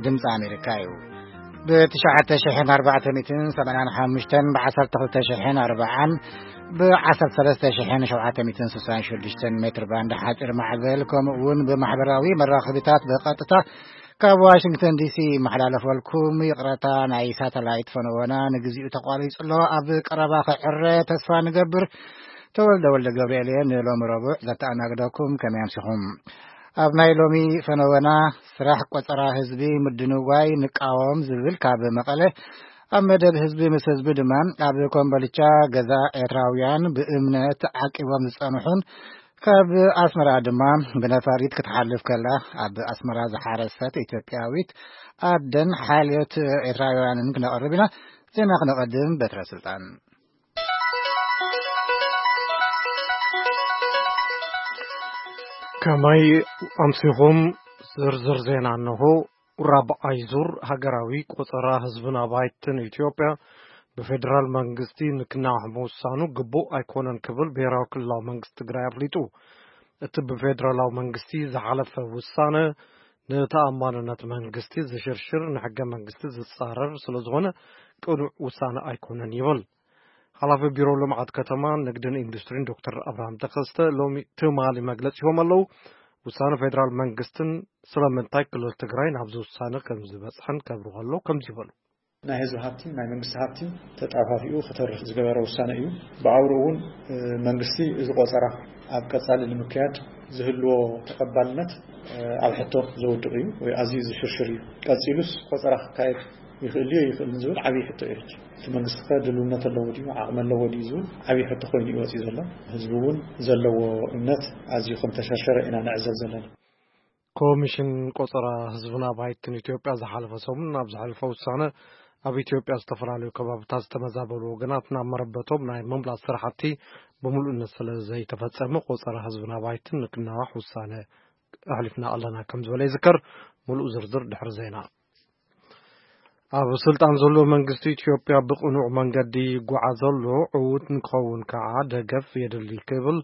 ድምፂ ኣሜሪካ እዩ። ብ ትሽዓተ ሽሕን ኣርባዕተ ሚእትን ሰማንያን ሓሙሽተን፣ ብ ዓሰርተ ክልተ ሽሕን ኣርባዓን፣ ብ ዓሰርተ ሰለስተ ሽሕን ሸውዓተ ሚእትን ስሳን ሽዱሽተን ሜትር ባንድ ሓፂር ማዕበል፣ ከምኡ እውን ብማሕበራዊ መራኸቢታት ብቐጥታ ካብ ዋሽንግተን ዲሲ ይመሓላለፈልኩም። ይቕረታ፣ ናይ ሳተላይት ፈነወና ንግዚኡ ተቋሪጹ ኣሎ። ኣብ ቀረባ ክዕረ ተስፋ ንገብር። ተወልደ ወልደ ገብርኤል እየ። ንሎሚ ረቡዕ ዘተኣናግደኩም። ከመይ ኣምሲኹም? ኣብ ናይ ሎሚ ፈነወና፣ ስራሕ ቆጸራ ህዝቢ ምድንጓይ ንቃወም ዝብል ካብ መቐለ፣ ኣብ መደብ ህዝቢ ምስ ህዝቢ ድማ፣ ኣብ ኮምቦልቻ ገዛ ኤርትራውያን ብእምነት ዓቂቦም ዝጸንሑን ካብ ኣስመራ ድማ ብነፋሪት ክትሓልፍ ከላ ኣብ ኣስመራ ዝሓረሰት ኢትዮጵያዊት ኣደን ሓልዮት ኤርትራውያንን ክነቕርብ ኢና። ዜና ክነቐድም፣ በትረ ስልጣን። ከመይ ኣምሲኹም? ዝርዝር ዜና እንሆ። ራብዓይ ዙር ሃገራዊ ቆጸራ ህዝብን ኣባይትን ኢትዮጵያ ብፌደራል መንግስቲ ንክናዋሕ ምውሳኑ ግቡእ ኣይኮነን ክብል ብሄራዊ ክልላዊ መንግስቲ ትግራይ ኣፍሊጡ። እቲ ብፌደራላዊ መንግስቲ ዝሓለፈ ውሳነ ንተኣማንነት መንግስቲ ዝሽርሽር፣ ንሕገ መንግስቲ ዝጻረር ስለዝኾነ ቅኑዕ ውሳነ ኣይኮነን ይብል ሓላፊ ቢሮ ልምዓት ከተማ፣ ንግድን ኢንዱስትሪን ዶክተር ኣብርሃም ተኸስተ። ሎሚ ትማሊ መግለጺ ሂቦም ኣለዉ። ውሳነ ፌደራል መንግስትን ስለምንታይ ክልል ትግራይ ናብዚ ውሳነ ከም ዝበጽሐን ከብርሁ ኣለዉ። ከምዚ ይበሉ። ናይ ህዝቢ ሃብቲን ናይ መንግስቲ ሃብቲን ተጣፋፊኡ ክተርፍ ዝገበረ ውሳነ እዩ። ብኣውሩ እውን፣ እ፣ መንግስቲ እዚ ቆጸራ ኣብ ቀጻሊ ንምክያድ ዝህልዎ ተቐባልነት፣ እ፣ ኣብ ሕቶ ዘውድቕ እዩ ወይ ኣዝዩ ዝሽርሽር እዩ። ቀጺሉስ ቆጸራ ክካየድ ይኽእል ድዩ ኣይኽእልን ዝብል ዓብዪ ሕቶ እዩ። ሕጂ እቲ መንግስቲ ከ ድልውነት ኣለዎ ድዩ፣ ዓቕሚ ኣለዎ ድዩ ዝብል ዓብዪ ሕቶ ኮይኑ እዩ ወፂኡ ዘሎ። ህዝቢ እውን ዘለዎ እምነት ኣዝዩ ከም ተሸርሸረ ኢና ንዕዘብ ዘለና። ኮሚሽን ቆጸራ ህዝብን ኣባይትን ኢትዮጵያ ዝሓለፈ ሰሙን ኣብ ዘሕለፈ ውሳነ፣ ኣብ ኢትዮጵያ ዝተፈላለዩ ከባብታት ዝተመዛበሉ ወገናት ናብ መረበቶም ናይ ምምላስ ስራሕቲ ብምሉእነት ስለ ዘይተፈጸመ፣ ቆጸራ ህዝብን ኣባይትን ንክናዋሕ ውሳነ ኣሕሊፍና ኣለና ከም ዝበለ ይዝከር። ምሉእ ዝርዝር ድሕሪ ዜና። ኣብ ስልጣን ዘሎ መንግስቲ ኢትዮጵያ ብቕኑዕ መንገዲ ይጓዓዝ ኣሎ፣ ዕዉት ንክኸውን ከዓ ደገፍ የድሊ ክብል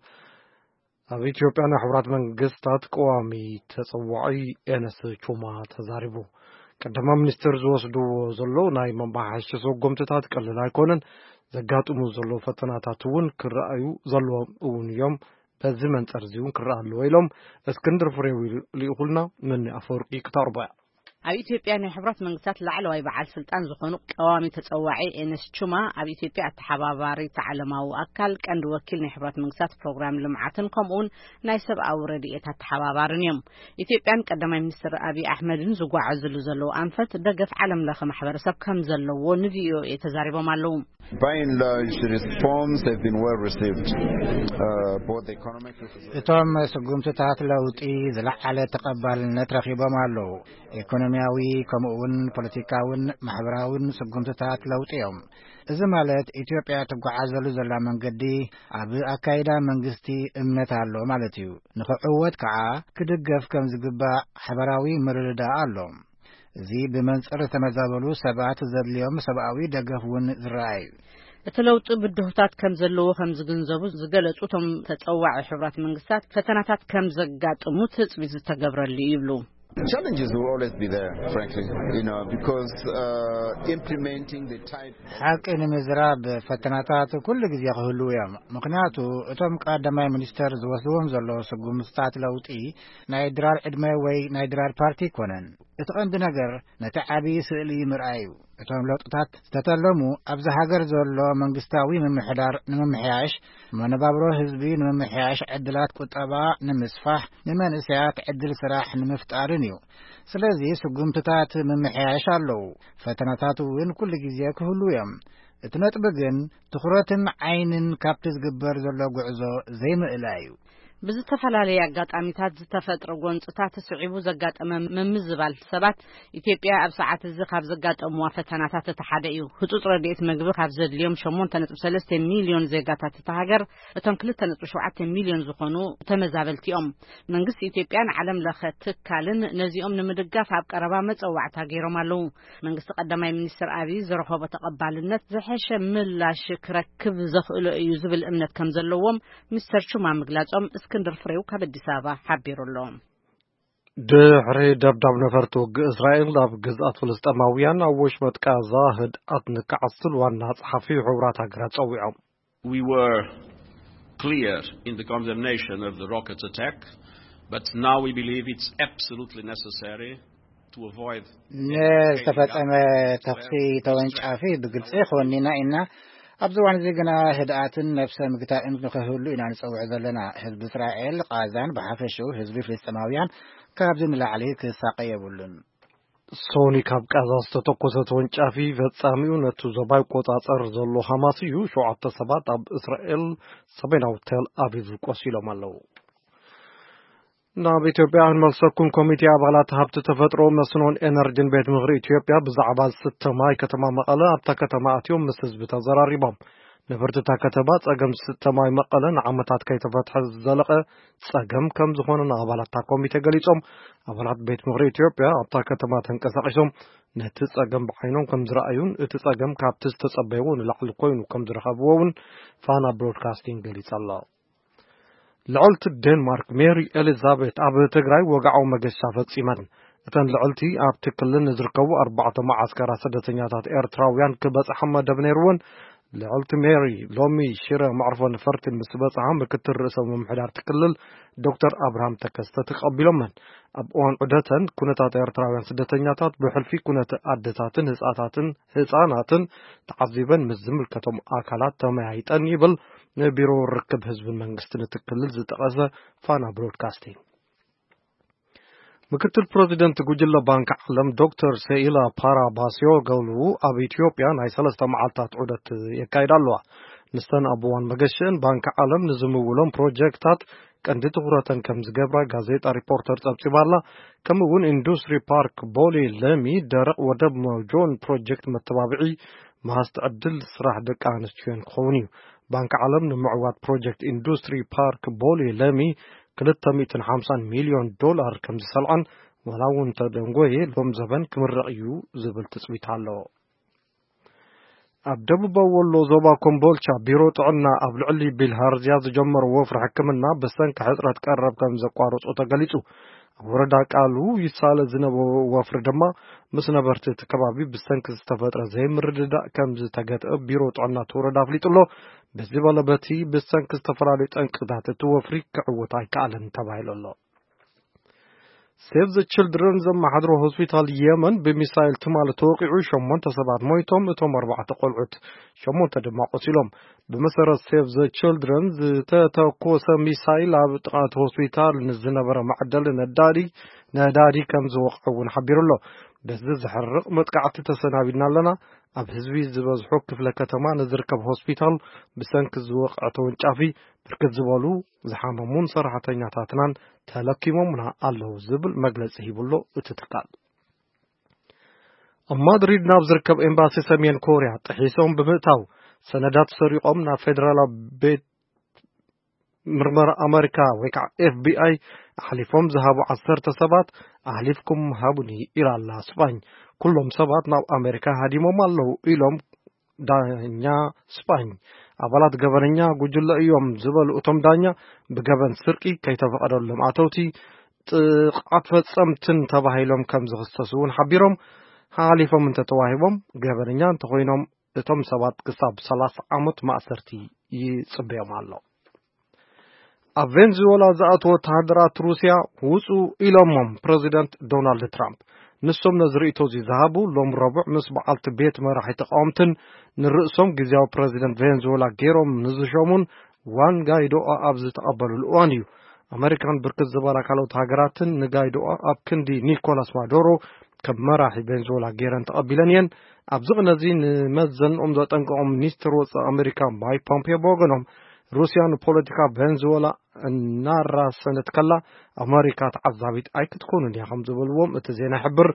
ኣብ ኢትዮጵያ ናይ ሕቡራት መንግስታት ቀዋሚ ተጸዋዒ ኤነስ ቹማ ተዛሪቡ። ቀዳማይ ሚኒስትር ዝወስድዎ ዘለዉ ናይ መመሓየሺ ሰጎምትታት ቀለል ኣይኮነን። ዘጋጥሙ ዘለዉ ፈተናታት እውን ክረኣዩ ዘለዎም እውን እዮም። በዚ መንጸር እዚ እውን ክረኣ ኣለዎ ኢሎም እስክንድር ፍሬው ልኢኹልና። መኒ ኣፈወርቂ ክተቕርቦ እያ። ኣብ ኢትዮጵያ ናይ ሕቡራት መንግስታት ላዕለዋይ በዓል ስልጣን ዝኾኑ ቀዋሚ ተጸዋዒ ኤነስ ቹማ፣ ኣብ ኢትዮጵያ ኣተሓባባሪት ዓለማዊ ኣካል ቀንዲ ወኪል ናይ ሕቡራት መንግስታት ፕሮግራም ልምዓትን ከምኡውን ናይ ሰብኣዊ ረድኤት ኣተሓባባርን እዮም። ኢትዮጵያን ቀዳማይ ሚኒስትር ኣብይ ኣሕመድን ዝጓዓዝሉ ዘለዉ ኣንፈት ደገፍ ዓለም ለኸ ማሕበረሰብ ከም ዘለዎ ንቪኦኤ ተዛሪቦም ኣለዉ። By and large, the reforms have been well received. Uh, both economic reforms እቶም ስጉምትታት ለውጢ ዝለዓለ ተቐባልነት ረኺቦም ኣለዉ። ኢኮኖሚያዊ ከምኡውን ፖለቲካውን ማሕበራውን ስጉምትታት ለውጢ እዮም። እዚ ማለት ኢትዮጵያ ትጓዓዘሉ ዘላ መንገዲ ኣብ ኣካይዳ መንግስቲ እምነት ኣሎ ማለት እዩ። ንኽዕወት ከዓ ክድገፍ ከም ዝግባእ ሓበራዊ ምርድዳእ ኣሎ። እዚ ብመንጽር ዝተመዛበሉ ሰባት ዘድልዮም ሰብኣዊ ደገፍ እውን ዝረኣይ እዩ። እቲ ለውጢ ብድሆታት ከም ዘለዎ ከም ዝግንዘቡ ዝገለጹ እቶም ተጸዋዒ ሕቡራት መንግስታት፣ ፈተናታት ከም ዘጋጥሙ ትጽቢት ዝተገብረሉ እዩ ይብሉ። Challenges will always be there, frankly, you know, because uh, implementing the type ሓቂ ንምዝራብ ፈተናታት ኩሉ ግዜ ክህልዉ እዮም። ምኽንያቱ እቶም ቀዳማይ ሚኒስተር ዝወስድዎም ዘለዉ ስጉምትታት ለውጢ ናይ ድራር ዕድመ ወይ ናይ ድራር ፓርቲ ኣይኮነን። እቲ ቀንዲ ነገር ነቲ ዓቢ ስእሊ ምርኣይ እዩ። እቶም ለውጥታት ዝተተለሙ ኣብዚ ሃገር ዘሎ መንግስታዊ ምምሕዳር ንምምሕያሽ፣ መነባብሮ ህዝቢ ንምምሕያሽ፣ ዕድላት ቁጠባ ንምስፋሕ፣ ንመንእሰያት ዕድል ስራሕ ንምፍጣርን እዩ። ስለዚ ስጉምትታት ምምሕያሽ ኣለዉ። ፈተናታት እውን ኩሉ ግዜ ክህልዉ እዮም። እቲ ነጥቢ ግን ትኹረትን ዓይንን ካብቲ ዝግበር ዘሎ ጉዕዞ ዘይምእላይ እዩ። ብዝተፈላለየ ኣጋጣሚታት ዝተፈጥረ ጎንፅታት ስዒቡ ዘጋጠመ ምምዝባል ሰባት ኢትዮጵያ ኣብ ሰዓት እዚ ካብ ዘጋጠምዋ ፈተናታት እቲ ሓደ እዩ። ህፁፅ ረድኤት ምግቢ ካብ ዘድልዮም ሸሞንተ ነጥቢ ሰለስተ ሚልዮን ዜጋታት እታ ሃገር እቶም ክልተ ነጥቢ ሸውዓተ ሚልዮን ዝኾኑ ተመዛበልቲ እዮም። መንግስቲ ኢትዮጵያን ዓለም ለኸ ትካልን ነዚኦም ንምድጋፍ ኣብ ቀረባ መፀዋዕታ ገይሮም ኣለዉ። መንግስቲ ቀዳማይ ሚኒስትር ኣብይ ዝረኸቦ ተቐባልነት ዝሐሸ ምላሽ ክረክብ ዘኽእሎ እዩ ዝብል እምነት ከም ዘለዎም ሚስተር ቹማ ምግላጾም እስክንድር ፍሬው ካብ ኣዲስ ኣበባ ሓቢሩ ኣሎ። ድሕሪ ደብዳብ ነፈርቲ ውግእ እስራኤል ናብ ግዝኣት ፍልስጤማውያን ኣብ ወሽመጥ ጋዛ ህድኣት ንክዓስል ዋና ጸሓፊ ሕቡራት ሃገራት ጸዊዖም። We were clear in the condemnation of the rocket attack, but now we believe it's absolutely necessary to avoid any further ዝተፈጸመ ተኹሲ ተወንጫፊ ብግልጺ ክወኒና ኢና። ኣብዚ እዋን እዚ ግና ህድኣትን ነብሰ ምግታእን ንክህሉ ኢና ንጸውዕ ዘለና። ህዝቢ እስራኤል፣ ቃዛን ብሓፈሽኡ ህዝቢ ፍልስጤማውያን ካብዚ ንላዕሊ ክሳቀ የብሉን። ሶኒ ካብ ቃዛ ዝተተኮሰ ተወንጫፊ ፈጻሚኡ ነቲ ዞባ ይቆጻጸር ዘሎ ሃማስ እዩ። ሸውዓተ ሰባት ኣብ እስራኤል ሰሜናዊ ቴል ኣቪቭ ቆሲሎም ኣለዉ። ናብ ኢትዮጵያ ክንመልሰኩም። ኮሚቴ ኣባላት ሃብቲ ተፈጥሮ፣ መስኖን ኤነርጂን ቤት ምኽሪ ኢትዮጵያ ብዛዕባ ዝስተ ማይ ከተማ መቐለ ኣብታ ከተማ ኣትዮም ምስ ህዝቢ ተዘራሪቦም። ነበርቲ እታ ከተማ ጸገም ዝስተ ማይ መቐለ ንዓመታት ከይተፈትሐ ዝዘለቐ ጸገም ከም ዝኾነ ንኣባላት እታ ኮሚቴ ገሊጾም። ኣባላት ቤት ምኽሪ ኢትዮጵያ ኣብታ ከተማ ተንቀሳቒሶም ነቲ ጸገም ብዓይኖም ከም ዝረኣዩን እቲ ጸገም ካብቲ ዝተጸበይዎ ንላዕሊ ኮይኑ ከም ዝረኸብዎ እውን ፋና ብሮድካስቲንግ ገሊጹ ኣሎ። ልዕልቲ ዴንማርክ ሜሪ ኤሊዛቤት ኣብ ትግራይ ወግዓዊ መገሻ ፈጺመን። እተን ልዕልቲ ኣብቲ ክልል ንዝርከቡ ኣርባዕተ መዓስከራት ስደተኛታት ኤርትራውያን ክበጽሓ መደብ ነይርወን። ልዕልቲ ሜሪ ሎሚ ሽረ መዕርፎ ነፈርቲ ምስ በጽሓ ምክትል ርእሰ ምምሕዳር እቲ ክልል ዶክተር ኣብርሃም ተከስተ ተቐቢሎመን። ኣብ እዋን ዑደተን ኩነታት ኤርትራውያን ስደተኛታት ብሕልፊ ኩነተ ኣደታትን ህጻታትን ህጻናትን ተዓዚበን ምስ ዝምልከቶም ኣካላት ተመያይጠን ይብል ንቢሮ ርክብ ህዝብን መንግስትን እቲ ክልል ዝጠቐሰ ፋና ብሮድካስቲንግ። ምክትል ፕረዚደንት ጉጅለ ባንክ ዓለም ዶክተር ሴኢላ ፓራባሲዮገሉ ኣብ ኢትዮጵያ ናይ ሰለስተ መዓልታት ዑደት የካይዳ ኣለዋ። ንስተን ኣብ እዋን መገሽአን ባንክ ዓለም ንዝምውሎም ፕሮጀክታት ቀንዲ ትኹረተን ከም ዝገብራ ጋዜጣ ሪፖርተር ጸብጺባ ኣላ። ከምኡ እውን ኢንዱስትሪ ፓርክ ቦሌ ለሚ ደረቕ ወደብ መጆን ፕሮጀክት መተባብዒ መሃዝቲ ዕድል ስራሕ ደቂ ኣንስትዮን ክኸውን እዩ። ባንክ ዓለም ንምዕዋት ፕሮጀክት ኢንዱስትሪ ፓርክ ቦሌ ለሚ ክልተ ሚእትን ሓምሳን ሚልዮን ዶላር ከም ዝሰልዐን ዋላ እውን ተደንጎየ ሎም ዘበን ክምረቕ እዩ ዝብል ትጽቢት ኣሎ። ኣብ ደቡባዊ ወሎ ዞባ ኮምቦልቻ ቢሮ ጥዕና ኣብ ልዕሊ ቢልሃርዝያ ዝጀመሮ ወፍሪ ሕክምና ብሰንኪ ሕጽረት ቀረብ ከም ዘቋረጾ ተገሊጹ። ኣብ ወረዳ ቃሉ ይሳለ ዝነበሮ ወፍሪ ድማ ምስ ነበርቲ እቲ ከባቢ ብሰንኪ ዝተፈጥረ ዘይምርድዳእ ከም ዝተገትአ ቢሮ ጥዕና እቲ ወረዳ ኣፍሊጡ ኣሎ። በዚ በለ በቲ ብሰንኪ ዝተፈላለዩ ጠንቅታት እቲ ወፍሪ ክዕወት ኣይከኣለን ተባሂሉ ኣሎ። ሴቭ ዘ ችልድረን ዘመሓድሮ ሆስፒታል የመን ብሚሳይል ትማሊ ተወቂዑ ሸሞንተ ሰባት ሞይቶም፣ እቶም ኣርባዕተ ቆልዑት ሸሞንተ ድማ ቆሲሎም። ብመሰረት ሴቭ ዘ ችልድረን ዝተተኮሰ ሚሳይል ኣብ ጥቓ እቲ ሆስፒታል ንዝነበረ መዐደሊ ነዳዲ ነዳዲ ከም ዝወቕዐ እውን ሓቢሩ ኣሎ። በዚ ዘሕርቕ መጥቃዕቲ ተሰናቢድና ኣለና። ኣብ ህዝቢ ዝበዝሖ ክፍለ ከተማ ንዝርከብ ሆስፒታል ብሰንኪ ዝወቕዐ ተወንጫፊ ብርክት ዝበሉ ዝሓመሙን ሰራሕተኛታትናን ተለኪሞምና ኣለዉ ዝብል መግለጺ ሂቡሎ እቲ ትካል። ኣብ ማድሪድ ናብ ዝርከብ ኤምባሲ ሰሜን ኮርያ ጥሒሶም ብምእታው ሰነዳት ሰሪቖም ናብ ፌደራላዊ ቤት ምርመራ ኣመሪካ ወይ ከዓ ኤፍቢኣይ ኣሕሊፎም ዝሃቡ ዓሰርተ ሰባት ኣሕሊፍኩም ሃቡኒ ኢላ ኣላ ስጳኝ። ኩሎም ሰባት ናብ ኣሜሪካ ሃዲሞም ኣለዉ ኢሎም ዳኛ ስጳኝ። ኣባላት ገበነኛ ጉጅለ እዮም ዝበሉ እቶም ዳኛ ብገበን ስርቂ፣ ከይተፈቐደሎም ኣተውቲ፣ ጥቕዓት ፈጸምትን ተባሂሎም ከም ዝኽሰሱ እውን ሓቢሮም። ሓሊፎም እንተተዋሂቦም ገበነኛ እንተኾይኖም እቶም ሰባት ክሳብ ሰላሳ ዓመት ማእሰርቲ ይጽበዮም ኣሎ። ኣብ ቬንዙዌላ ዝኣትዉ ወተሃደራት ሩስያ ውጹ ኢሎሞም ፕረዚደንት ዶናልድ ትራምፕ። ንሶም ነዚ ርእይቶ እዚ ዝሃቡ ሎም ረቡዕ ምስ በዓልቲ ቤት መራሒ ተቃወምትን ንርእሶም ግዜያዊ ፕረዚደንት ቬንዙዌላ ገይሮም ንዝሸሙን ዋን ጋይዶኣ ኣብ ዝተቐበሉሉ እዋን እዩ። ኣመሪካን ብርክት ዝበላ ካልኦት ሃገራትን ንጋይዶኣ ኣብ ክንዲ ኒኮላስ ማዱሮ ከም መራሒ ቬንዙዌላ ገይረን ተቐቢለን እየን። ኣብዚ ቅነ እዚ ንመዘንኦም ዘጠንቀቖም ሚኒስትር ወጻኢ ኣመሪካ ማይክ ፖምፔዮ ብወገኖም ሩስያ ንፖለቲካ ቬንዙዌላ እናራሰነት ከላ ኣመሪካ ተዓዛቢት ኣይክትኮኑን እያ ከም ዝበልዎም እቲ ዜና ይሕብር።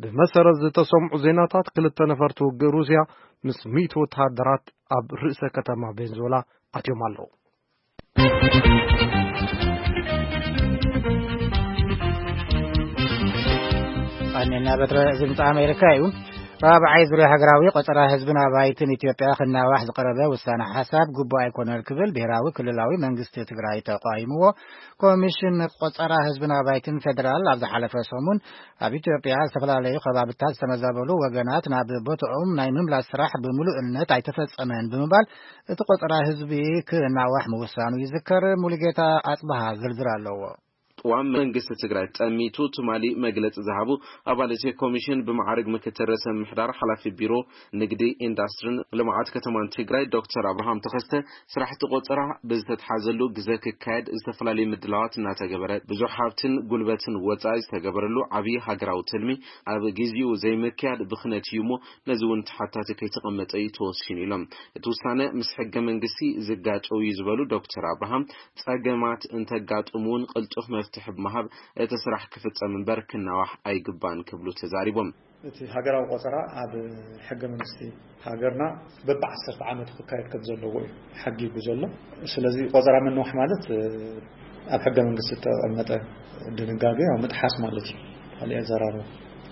ብመሰረት ዝተሰምዑ ዜናታት ክልተ ነፈርቲ ውግእ ሩስያ ምስ ሚእቲ ወተሃደራት ኣብ ርእሰ ከተማ ቬንዙዌላ ኣትዮም ኣለዉ። ኣኔና በትረ እዚ ድምፂ ኣሜሪካ እዩ። ራብዓይ ዙርያ ሃገራዊ ቆጸራ ህዝብን ኣባይትን ኢትዮጵያ ክናዋሕ ዝቐረበ ውሳነ ሓሳብ ግቡእ ኣይኮነን ክብል ብሄራዊ ክልላዊ መንግስቲ ትግራይ ተቃይምዎ። ኮሚሽን ቆጸራ ህዝብን ኣባይትን ፌደራል ኣብ ዝሓለፈ ሰሙን ኣብ ኢትዮጵያ ዝተፈላለዩ ከባብታት ዝተመዛበሉ ወገናት ናብ ቦታኦም ናይ ምምላስ ስራሕ ብምሉእነት ኣይተፈጸመን ብምባል እቲ ቆጸራ ህዝቢ ክናዋሕ ምውሳኑ ይዝከር። ሙሉጌታ ኣጽብሃ ዝርዝር ኣለዎ። ቅዋም መንግስቲ ትግራይ ጠሚቱ ትማሊ መግለፂ ዝሃቡ ኣባላት ኮሚሽን ብመዓርግ ምክትል ርእሰ ምምሕዳር ሓላፊ ቢሮ ንግዲ፣ ኢንዳስትሪን ልምዓት ከተማን ትግራይ ዶክተር ኣብርሃም ተኸስተ፣ ስራሕቲ ቆፀራ ብዝተትሓዘሉ ግዘ ክካየድ ዝተፈላለዩ ምድላዋት እናተገበረ ብዙሕ ሃብትን ጉልበትን ወፃኢ ዝተገበረሉ ዓብዪ ሃገራዊ ትልሚ ኣብ ጊዜኡ ዘይምክያድ ብኽነት እዩ እሞ ነዚ እውን ተሓታቲ ከይተቐመጠ እዩ ተወሲኑ ኢሎም። እቲ ውሳነ ምስ ሕገ መንግስቲ ዝጋጨው እዩ ዝበሉ ዶክተር ኣብርሃም፣ ጸገማት እንተጋጥሙ እውን ቅልጡፍ መፍትሒ ብምሃብ እቲ ስራሕ ክፍጸም እምበር ክናዋሕ ኣይግባን ክብሉ ተዛሪቦም። እቲ ሃገራዊ ቆጸራ ኣብ ሕገ መንግስቲ ሃገርና በቢ ዓሰርተ ዓመቱ ክካየድ ከም ዘለዎ እዩ ሓጊጉ ዘሎ። ስለዚ ቆጸራ ምንዋሕ ማለት ኣብ ሕገ መንግስቲ ዝተቐመጠ ድንጋገ ያው ምጥሓስ ማለት እዩ። ካልእ ኣዘራርባ።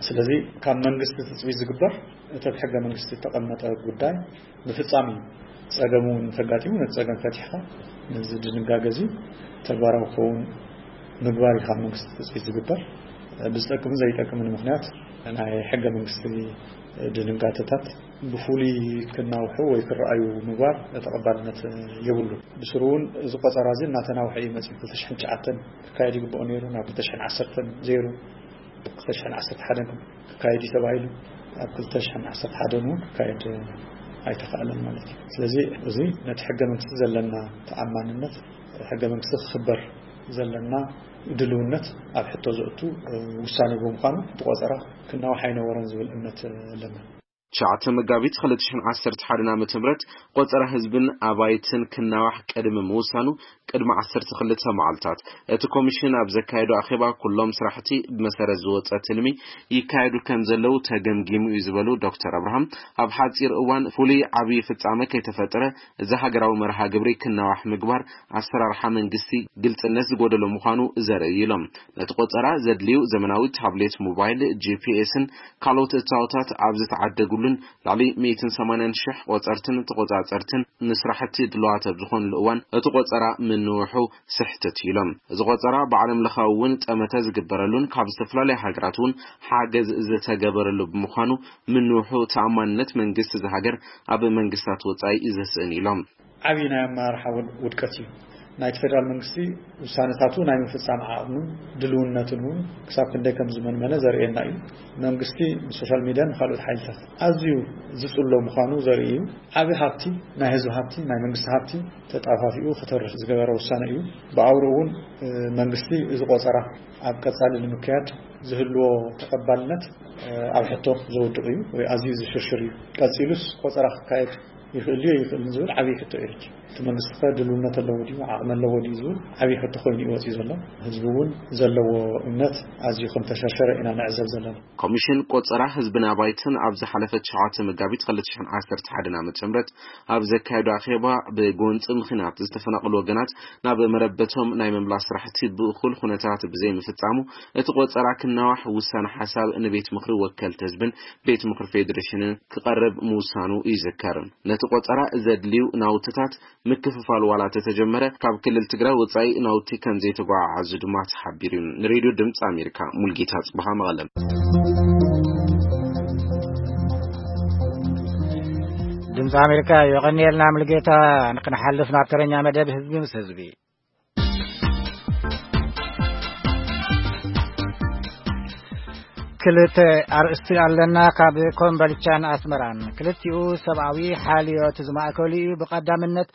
ስለዚ ካብ መንግስቲ ትጽቢት ዝግበር እቲ ኣብ ሕገ መንግስቲ ዝተቐመጠ ጉዳይ ምፍጻም እዩ። ጸገሙ እንተጋጢሙ ነቲ ጸገም ፈቲሕካ ነዚ ድንጋገ እዚ ተግባራዊ ክኸውን ምግባር እዩ ካብ መንግስቲ ትጽቢት ዝግበር። ብዝጠቅምን ዘይጠቅምን ምኽንያት ናይ ሕገ መንግስቲ ድንጋተታት ብፍሉይ ክናውሑ ወይ ክረኣዩ ምግባር ተቐባልነት የብሉ። ብስሩ እውን እዚ ቆጸራ እዚ እናተናውሐ እዩ መፅዩ። ክልተ ሽሕን ትሽዓተን ክካየድ ይግብኦ ነይሩ ናብ ክልተ ሽሕን ዓሰርተን ዘይሩ ክልተ ሽሕን ዓሰርተ ሓደን ክካየድ እዩ ተባሂሉ ኣብ ክልተ ሽሕን ዓሰርተ ሓደን እውን ክካየድ ኣይተኻእለን ማለት እዩ። ስለዚ እዚ ነቲ ሕገ መንግስቲ ዘለና ተኣማንነት፣ ሕገ መንግስቲ ክኽበር ዘለና ድልውነት ኣብ ሕቶ ዘእቱ ውሳኔ ብምዃኑ ብቆፀራ ክናዋሕ ኣይነበሮን ዝብል እምነት ኣለና። ትሽዓተ መጋቢት ክልተ ሽሕን ዓሰርተ ሓደን ዓመተ ምህረት ቆፀራ ህዝብን ኣባይትን ክናዋሕ ቅድሚ ምውሳኑ ቅድሚ ዓሰርተ ክልተ መዓልታት እቲ ኮሚሽን ኣብ ዘካየዶ ኣኼባ ኩሎም ስራሕቲ ብመሰረት ዝወፀ ትልሚ ይካየዱ ከም ዘለዉ ተገምጊሙ እዩ ዝበሉ ዶክተር ኣብርሃም፣ ኣብ ሓፂር እዋን ፍሉይ ዓብዪ ፍጻመ ከይተፈጠረ እዚ ሃገራዊ መርሃ ግብሪ ክናዋሕ ምግባር ኣሰራርሓ መንግስቲ ግልጽነት ዝጎደሎ ምዃኑ ዘርኢ ኢሎም። ነቲ ቆጸራ ዘድልዩ ዘመናዊ ታብሌት፣ ሞባይል፣ ጂ ፒ ኤስን ካልኦት እታወታት ኣብ ዝተዓደግሉን ልዕሊ ሚእትን ሰማንያን ሽሕ ቆጸርትን ተቆጻጸርትን ንስራሕቲ ድሉዋት ኣብ ዝኾንሉ እዋን እቲ ቆጸራ ምንውሑ ስሕተት ኢሎም። እዚ ቆጸራ ብዓለም ለኻዊ እውን ጠመተ ዝግበረሉን ካብ ዝተፈላለዩ ሃገራት እውን ሓገዝ ዝተገበረሉ ብምዃኑ ምንውሑ ተኣማንነት መንግስቲ እዚ ሃገር ኣብ መንግስታት ወጻኢ ዘስእን ኢሎም። ዓብዪ ናይ ኣመራርሓ ውድ- ውድቀት እዩ። ናይቲ ፌደራል መንግስቲ ውሳነታቱ ናይ ምፍጻም ዓቕምን ድልውነትን እውን ክሳብ ክንደይ ከም ዝመንመነ ዘርእየና እዩ። መንግስቲ ንሶሻል ሚድያን ንካልኦት ሓይልታት ኣዝዩ ዝጽሎ ምዃኑ ዘርኢ እዩ። ዓቢ ሃብቲ፣ ናይ ህዝቢ ሃብቲ፣ ናይ መንግስቲ ሃብቲ ተጣፋፊኡ ክተርፍ ዝገበረ ውሳነ እዩ። ብኣውርኡ እውን መንግስቲ እዚ ቆጸራ ኣብ ቀጻሊ ንምክያድ ዝህልዎ ተቐባልነት ኣብ ሕቶ ዘውድቕ እዩ ወይ ኣዝዩ ዝሽርሽር እዩ። ቀጺሉስ ቆጸራ ክካየድ ይኽእል ድዩ ኣይኽእልን ዝብል ዓብዪ ሕቶ እዩ። እቲ መንግስቲ ከ ድልውነት ኣለዎ ድዩ ዓቕሚ ኣለዎ ድዩ ዝብል ዓብዪ ሕቶ ኮይኑ እዩ ወፂኡ ዘሎ። ህዝቢ እውን ዘለዎ እምነት ኣዝዩ ከም ተሸርሸረ ኢና ንዕዘብ ዘለና። ኮሚሽን ቆፀራ ህዝብን ኣባይትን ኣብ ዝሓለፈ ትሽዓተ መጋቢት ክልተ ሽሕን ዓሰርተ ሓደን ዓመተ ምህረት ኣብ ዘካየዶ ኣኼባ ብጎንፂ ምኽንያት ዝተፈናቐሉ ወገናት ናብ መረበቶም ናይ ምምላስ ስራሕቲ ብእኹል ኩነታት ብዘይምፍፃሙ እቲ ቆፀራ ክናዋሕ ውሳነ ሓሳብ ንቤት ምኽሪ ወከልቲ ህዝብን ቤት ምኽሪ ፌዴሬሽንን ክቐርብ ምውሳኑ ይዝከር። ነቲ ቆፀራ ዘድልዩ ናውትታት ምክፍፋል ዋላ ተተጀመረ ካብ ክልል ትግራይ ወፃኢ ናውቲ ከም ዘይተጓዓዓዙ ድማ ተሓቢሩ እዩ። ንሬድዮ ድምፂ ኣሜሪካ ሙልጌታ ጽብሃ መቐለም። ድምፂ ኣሜሪካ የቐንየልና ሙልጌታ። ክንሓልፍ ናብ ተረኛ መደብ ህዝቢ ምስ ህዝቢ። ክልተ ኣርእስቲ ኣለና። ካብ ኮምበልቻን ኣስመራን ክልቲኡ ሰብኣዊ ሓልዮት ዝማእከሉ እዩ። ብቐዳምነት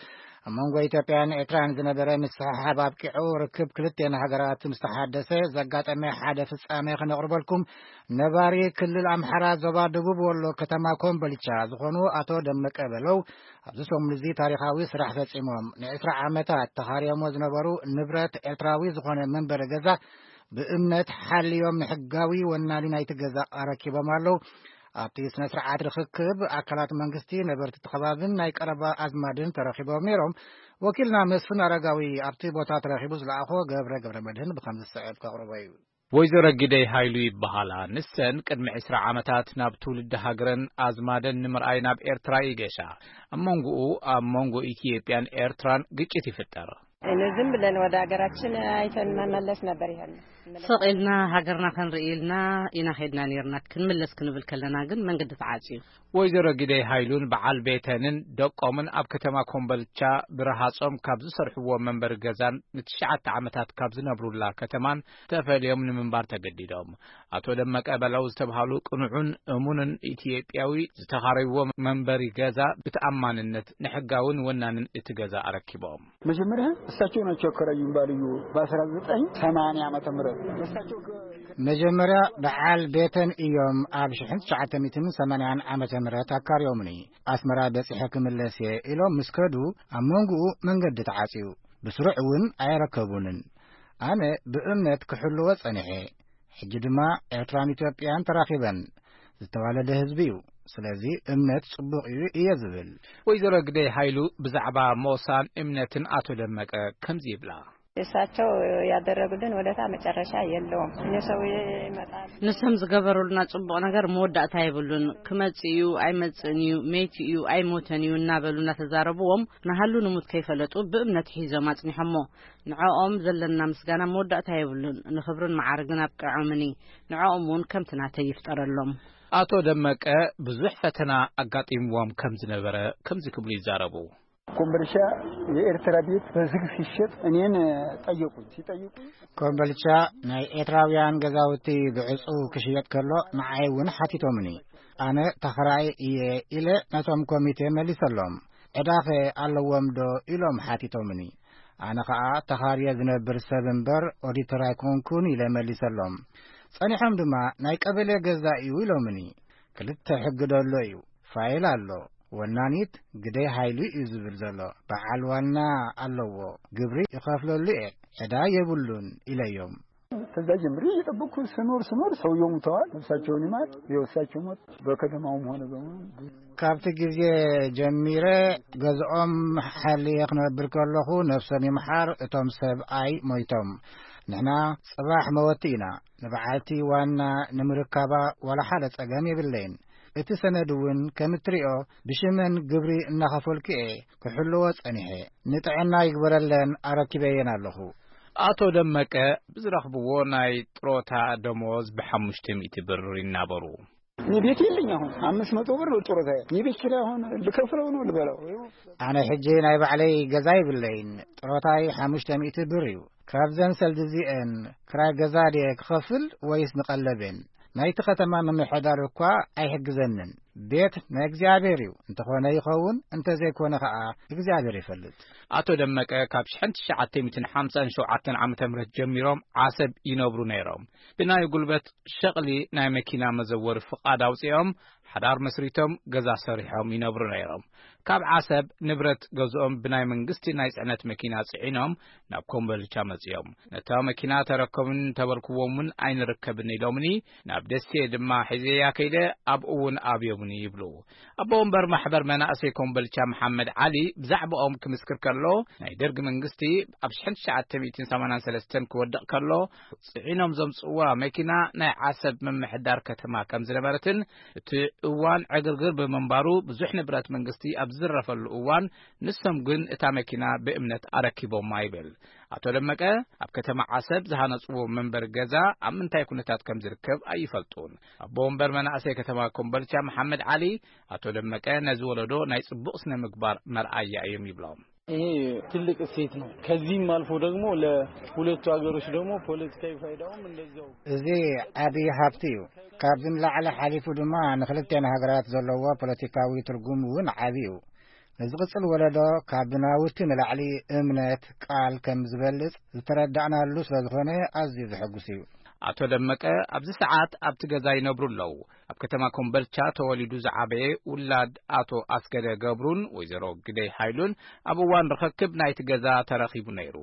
ኣብ መንጎ ኢትዮጵያን ኤርትራን ዝነበረ ምስሕሓብ ኣብቂዑ ርክብ ክልቲኤን ሃገራት ምስ ተሓደሰ ዘጋጠመ ሓደ ፍጻሜ ክነቕርበልኩም። ነባሪ ክልል ኣምሓራ ዞባ ደቡብ ወሎ ከተማ ኮምበልቻ ዝኾኑ ኣቶ ደመቀ በለው ኣብዚ ሰሙን እዚ ታሪኻዊ ስራሕ ፈጺሞም። ንዕስራ ዓመታት ተኻርዮሞ ዝነበሩ ንብረት ኤርትራዊ ዝኾነ መንበሪ ገዛ ብእምነት ሓልዮም ንሕጋዊ ወናኒ ናይቲ ገዛ ኣረኪቦም ኣለዉ። ኣብቲ ስነ ስርዓት ርኽክብ ኣካላት መንግስቲ፣ ነበርቲ እቲ ከባብን ናይ ቀረባ ኣዝማድን ተረኺቦም ነይሮም። ወኪልና መስፍን ኣረጋዊ ኣብቲ ቦታ ተረኺቡ ዝለኣኾ ገብረ ገብረ መድህን ብኸም ዝስዕብ ከቕርቦ እዩ። ወይዘሮ ግደይ ሃይሉ ይበሃላ። ንሰን ቅድሚ ዕስራ ዓመታት ናብ ትውልዲ ሃገረን ኣዝማደን ንምርኣይ ናብ ኤርትራ ይገሻ። ኣብ መንጎኡ፣ ኣብ መንጎ ኢትዮጵያን ኤርትራን ግጭት ይፍጠር። እኔ ዝም ብለን ወደ ሀገራችን አይተን መመለስ ነበር ይሄን። ስቕ ኢልና ሃገርና ክንርኢ ኢልና ኢና ኸድና ነርና። ክንምለስ ክንብል ከለና ግን መንገዲ ተዓጽዩ። ወይዘሮ ግደይ ሃይሉን በዓል ቤተንን ደቆምን ኣብ ከተማ ኮምበልቻ ብረሃጾም ካብ ዝሰርሕዎ መንበሪ ገዛን ንትሽዓተ ዓመታት ካብ ዝነብሩላ ከተማን ተፈልዮም ንምንባር ተገዲዶም። ኣቶ ደመቀ በለው ዝተብሃሉ ቅኑዕን እሙንን ኢትዮጵያዊ ዝተኻረይዎ መንበሪ ገዛ ብተኣማንነት ንሕጋውን ወናንን እቲ ገዛ ኣረኪቦም። መጀመሪያ እሳቸው ናቸው ያከራዩን ባልዮ በአስራ ዘጠኝ ሰማንያ ዓመተ ምህረት እሳቸው ከ- መጀመሪያ በዓል ቤተን እዮም ኣብ ሽሕን ትሽዓተ ሚእትን ሰማንያን ዓመተ ምህረት ኣካርዮምኒ። ኣስመራ በጺሐ ክምለስ እየ ኢሎም ምስ ከዱ ኣብ መንጎኡ መንገዲ ተዓጽዩ። ብስሩዕ እውን ኣየረከቡንን። ኣነ ብእምነት ክሕልዎ ጸኒሐ። ሕጂ ድማ ኤርትራን ኢትዮጵያን ተራኺበን። ዝተዋለደ ህዝቢ እዩ። ስለዚ እምነት ጽቡቕ እዩ እየ ዝብል። ወይዘሮ ግደይ ሃይሉ ብዛዕባ ሞሳን እምነትን ኣቶ ደመቀ ከምዚ ይብላ። እሳቸው ያደረጉልን ወደታ መጨረሻ የለውም። እኔ ሰው ይመጣል። ንሶም ዝገበሩልና ጽቡቕ ነገር መወዳእታ የብሉን። ክመጽእ እዩ፣ ኣይመጽእን እዩ፣ መይቲ እዩ፣ ኣይሞተን እዩ እናበሉ እናተዛረብዎም ንሃሉ ንሙት ከይፈለጡ ብእምነት ሒዞም ኣጽኒሖሞ። ንዕኦም ዘለና ምስጋና መወዳእታ የብሉን። ንኽብርን መዓርግን ኣብቅዖምኒ። ንዕኦም እውን ከምቲ ናተይ ይፍጠረሎም። ኣቶ ደመቀ ብዙሕ ፈተና ኣጋጢምዎም ከም ዝነበረ ከምዚ ክብሉ ይዛረቡ። ኮምበልቻ የኤርትራ ቤት በዝግ ሲሸጥ እኔን ጠየቁኝ። ሲጠይቁኝ ኮምበልቻ ናይ ኤርትራውያን ገዛውቲ ብዕጹ ክሽየጥ ከሎ ንዓይ እውን ሓቲቶምኒ። ኣነ ተኸራይ እየ ኢለ ነቶም ኮሚቴ መሊሰሎም። ዕዳኸ ኣለዎም ዶ ኢሎም ሓቲቶምኒ። ኣነ ኸኣ ተኻርየ ዝነብር ሰብ እምበር ኦዲተር ኣይኮንኩን ኢለ መሊሰሎም። ጸኒሖም ድማ ናይ ቀበሌ ገዛ እዩ ኢሎምኒ። ክልተ ሕጊ ደሎ እዩ። ፋይል ኣሎ። ወናኒት ግደይ ሃይሉ እዩ ዝብል ዘሎ። በዓል ዋና ኣለዎ። ግብሪ ይኸፍለሉ እየ። ዕዳ የብሉን ኢለዮም። ከዛ ጀምሬ እየጠበቅኩ ስኖር ስኖር ሰውየው ሙተዋል። ነፍሳቸውን ይማር። ይኸው እሳቸው ሞት በከተማውም ሆነ በሙሉ ካብቲ ግዜ ጀሚረ ገዝኦም ሓልየ ክነብር ከለኹ ነፍሶም ይምሓር እቶም ሰብኣይ ሞይቶም። ንሕና ጽባሕ መወቲ ኢና። ንበዓልቲ ዋና ንምርካባ ዋላ ሓደ ጸገም የብለይን። እቲ ሰነድ እውን ከም እትሪኦ ብሽመን ግብሪ እናኸፈልኩ እየ ክሕልዎ ጸኒሐ። ንጥዕና ይግበረለን ኣረኪበየን ኣለኹ። ኣቶ ደመቀ ብዝረኽብዎ ናይ ጥሮታ ደሞዝ ብሓሙሽተ ሚእቲ ብር ይናበሩ። እኔ ቤት የለኝ። አሁን አምስት መቶ ብር ነው ጥሮታ። የቤት ኪራይ አሁን ልከፍለው ነው ልበላው። ኣነ ሕጂ ናይ ባዕለይ ገዛ ይብለይን። ጥሮታይ ሓሙሽተ ሚእቲ ብር እዩ። ካብዘን ሰልዲ እዚአን ክራይ ገዛ ድየ ክኸፍል ወይስ ንቐለቤን? ናይቲ ከተማ ምምሕዳር እኳ ኣይሕግዘንን። ቤት ናይ እግዚኣብሔር እዩ። እንተኾነ ይኸውን፣ እንተዘይኮነ ኸኣ እግዚኣብሔር ይፈልጥ። ኣቶ ደመቀ ካብ ሽሕን ትሽዓተ ሚእትን ሓምሳን ሸውዓተን ዓመተ ምህረት ጀሚሮም ዓሰብ ይነብሩ ነይሮም። ብናይ ጉልበት ሸቕሊ ናይ መኪና መዘወሪ ፍቓድ ኣውጺኦም፣ ሓዳር መስሪቶም፣ ገዛ ሰሪሖም ይነብሩ ነይሮም። ካብ ዓሰብ ንብረት ገዝኦም ብናይ መንግስቲ ናይ ጽዕነት መኪና ጽዒኖም ናብ ኮምቦልቻ መጺኦም። ነታ መኪና ተረከቡን ተበርክዎምን ኣይንርከብን ኢሎምኒ፣ ናብ ደሴ ድማ ሒዘያ ከይደ ኣብኡ እውን ኣብዮምኒ ይብሉ። ኣቦ ወንበር ማሕበር መናእሰይ ኮምቦልቻ መሓመድ ዓሊ ብዛዕባኦም ክምስክር ከሎ፣ ናይ ደርጊ መንግስቲ ኣብ ሽሕን ትሽዓተ ሚእትን ሰማንያን ሰለስተን ክወድቕ ከሎ ጽዒኖም ዘምጽእዋ መኪና ናይ ዓሰብ ምምሕዳር ከተማ ከም ዝነበረትን እቲ እዋን ዕግርግር ብምንባሩ ብዙሕ ንብረት መንግስቲ ኣብ ዝዝረፈሉ እዋን ንሶም ግን እታ መኪና ብእምነት ኣረኪቦማ ይብል። ኣቶ ደመቀ ኣብ ከተማ ዓሰብ ዝሃነጽዎ መንበሪ ገዛ ኣብ ምንታይ ኩነታት ከም ዝርከብ ኣይፈልጡን። ኣቦ ወንበር መናእሰይ ከተማ ኮምቦልቻ መሓመድ ዓሊ ኣቶ ደመቀ ነዚ ወለዶ ናይ ጽቡቕ ስነ ምግባር መርኣያ እዮም ይብሎም። ይሄ ትልቅ እሴት ነው። ከዚህም አልፎ ደግሞ ለሁለቱ ሀገሮች ደግሞ ፖለቲካዊ ፋይዳውም እንደዛው። እዚ ዓቢ ሃብቲ እዩ። ካብዚ ንላዕሊ ሓሊፉ ድማ ንክልቴን ሃገራት ዘለዎ ፖለቲካዊ ትርጉም እውን ዓቢ እዩ። ንዝቕጽል ወለዶ ካብ ናውቲ ንላዕሊ እምነት ቃል ከም ዝበልጽ ዝተረዳእናሉ ስለ ዝኾነ ኣዝዩ ዘሐጉስ እዩ። ኣቶ ደመቀ ኣብዚ ሰዓት ኣብቲ ገዛ ይነብሩ ኣለዉ። ኣብ ከተማ ኮምበልቻ ተወሊዱ ዝዓበየ ውላድ ኣቶ ኣስገደ ገብሩን ወይዘሮ ግደይ ሃይሉን ኣብ እዋን ርኽክብ ናይቲ ገዛ ተረኺቡ ነይሩ።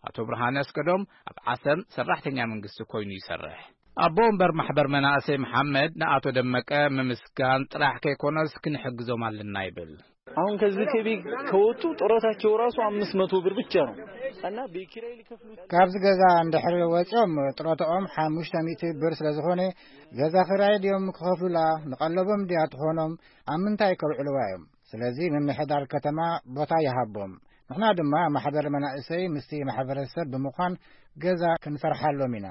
ኣቶ ብርሃነ ኣስገዶም ኣብ ዓሰብ ሰራሕተኛ መንግስቲ ኮይኑ ይሰርሕ። ኣቦ ወንበር ማሕበር መናእሰይ መሓመድ ንኣቶ ደመቀ ምምስጋን ጥራሕ ከይኮነስ ክንሕግዞም ኣለና ይብል። አሁን ከዚህ ከቤት ከወጡ ጡረታቸው ራሱ አምስት መቶ ብር ብቻ ነው እና ቤት ኪራይ ሊከፍሉት ካብዚ ገዛ እንድሕር ወፂኦም ጥሮታኦም ሓሙሽተ ሚእቲ ብር ስለ ዝኾነ፣ ገዛ ክራይ ድዮም ክኸፍሉላ? ንቐለቦም ድያ ትኾኖም? ኣብ ምንታይ ከውዕልዋ እዮም? ስለዚ ምምሕዳር ከተማ ቦታ ይሃቦም። ንሕና ድማ ማሕበር መናእሰይ ምስቲ ማሕበረሰብ ብምዃን ገዛ ክንሰርሓሎም ኢና።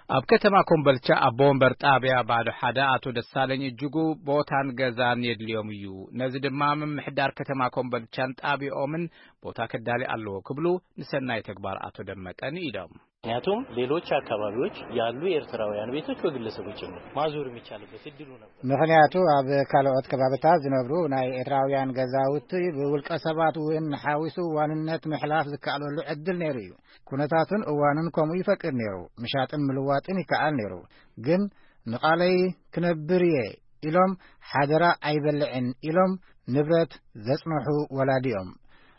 ኣብ ከተማ ኮምበልቻ ኣቦ ወንበር ጣብያ ባዶ ሓደ ኣቶ ደሳለኝ እጅጉ ቦታን ገዛን የድልዮም እዩ። ነዚ ድማ ምምሕዳር ከተማ ኮምበልቻን ጣብያኦምን ቦታ ከዳሊ ኣለዎ ክብሉ ንሰናይ ተግባር ኣቶ ደመቀ ንኢዶም። ምክንያቱም ሌሎች አካባቢዎች ያሉ የኤርትራውያን ቤቶች በግለሰቦች ጭምር ማዞር የሚቻልበት እድሉ ነበር። ምኽንያቱ ኣብ ካልኦት ከባብታት ዝነብሩ ናይ ኤርትራውያን ገዛውቲ ብውልቀ ሰባት እውን ሓዊሱ ዋንነት ምሕላፍ ዝከኣለሉ ዕድል ነይሩ እዩ። ኩነታትን እዋንን ከምኡ ይፈቅድ ነይሩ። ምሻጥን ምልዋጥን ይከኣል ነይሩ። ግን ንቓለይ ክነብር እየ ኢሎም ሓደራ ኣይበልዕን ኢሎም ንብረት ዘጽንሑ ወላዲ እዮም።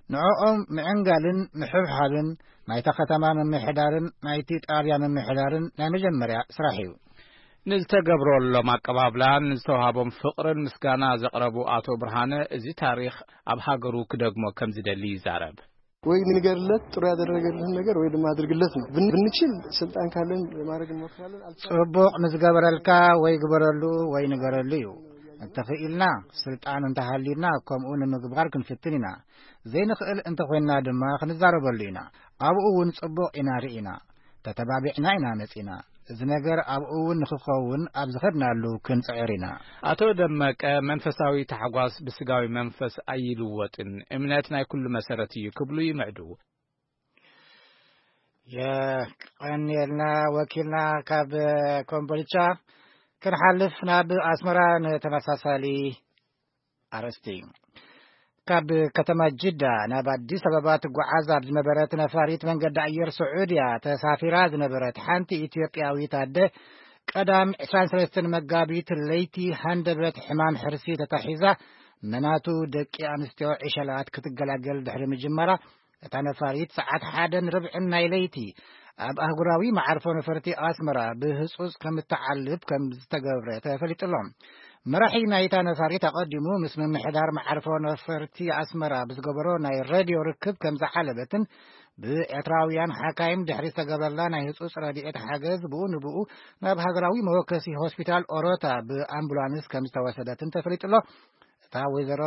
ንዕኦም ምዕንጋልን ምሕብሓብን ናይታ ከተማ ምምሕዳርን ናይቲ ጣብያ ምምሕዳርን ናይ መጀመርያ ስራሕ እዩ። ንዝተገብረሎም ኣቀባብላን ንዝተዋሃቦም ፍቕርን ምስጋና ዘቕረቡ ኣቶ ብርሃነ፣ እዚ ታሪኽ ኣብ ሃገሩ ክደግሞ ከም ዝደሊ ይዛረብ። ወይ ንገርለት ጥሩ ያደረገልህን ነገር ወይ ድማ አድርግለት ነው። ብን-፣ ብንችል ስልጣን ካለን ለማድረግ እንሞክራለን። አልቻልንም። ጽቡቕ ንዝገበረልካ ወይ ግበረሉ ወይ ንገረሉ እዩ። እንተኽኢልና ስልጣን እንተሃልዩና ከምኡ ንምግባር ክንፍትን ኢና። ዘይንኽእል እንተኾይንና ድማ ክንዛረበሉ ኢና። ኣብኡ እውን ጽቡቕ ኢና ርኢና። ተተባቢዕና ኢና መጺና። እዚ ነገር ኣብኡ እውን ንኽኸውን ኣብ ዝኸድናሉ ክንጽዕር ኢና። ኣቶ ደመቀ፣ መንፈሳዊ ታሕጓስ ብስጋዊ መንፈስ ኣይልወጥን፣ እምነት ናይ ኩሉ መሰረት እዩ ክብሉ ይምዕዱ። የቐንየልና ወኪልና ካብ ኮምቦልቻ። ክንሓልፍ ናብ ኣስመራ ንተመሳሳሊ ኣርእስቲ። ካብ ከተማ ጅዳ ናብ ኣዲስ ኣበባ ትጓዓዝ ኣብ ዝነበረት ነፋሪት መንገዲ ኣየር ስዑድያ ተሳፊራ ዝነበረት ሓንቲ ኢትዮጵያዊት ኣደ ቀዳም ዕስራን ሰለስተን መጋቢት ለይቲ ሃንደበት ሕማም ሕርሲ ተታሒዛ መናቱ ደቂ ኣንስትዮ ዕሸላት ክትገላገል ድሕሪ ምጅማራ፣ እታ ነፋሪት ሰዓት ሓደን ርብዕን ናይ ለይቲ ኣብ ኣህጉራዊ መዓርፎ ነፈርቲ ኣስመራ ብህጹጽ ከም እትዓልብ ከም ዝተገብረ ተፈሊጡ ኣሎ። መራሒ ናይታ ነፋሪት ኣቐዲሙ ምስ ምምሕዳር መዓርፎ ነፈርቲ ኣስመራ ብዝገበሮ ናይ ሬድዮ ርክብ ከም ዝዓለበትን ብኤርትራውያን ሓካይም ድሕሪ ዝተገበረላ ናይ ህጹጽ ረድኤት ሓገዝ ብኡ ንብኡ ናብ ሃገራዊ መወከሲ ሆስፒታል ኦሮታ ብኣምቡላንስ ከም ዝተወሰደትን ተፈሊጡ ኣሎ። እታ ወይዘሮ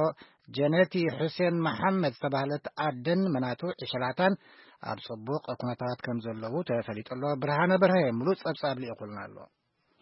ጀነቲ ሑሴን መሓመድ ዝተባህለት ኣደን መናቱ ዕሸላታን ኣብ ጽቡቕ ኩነታት ከም ዘለዉ ተፈሊጡ ኣሎ። ብርሃነ በርሀ ምሉእ ጸብጻብ ልኢኹልና ኣሎ።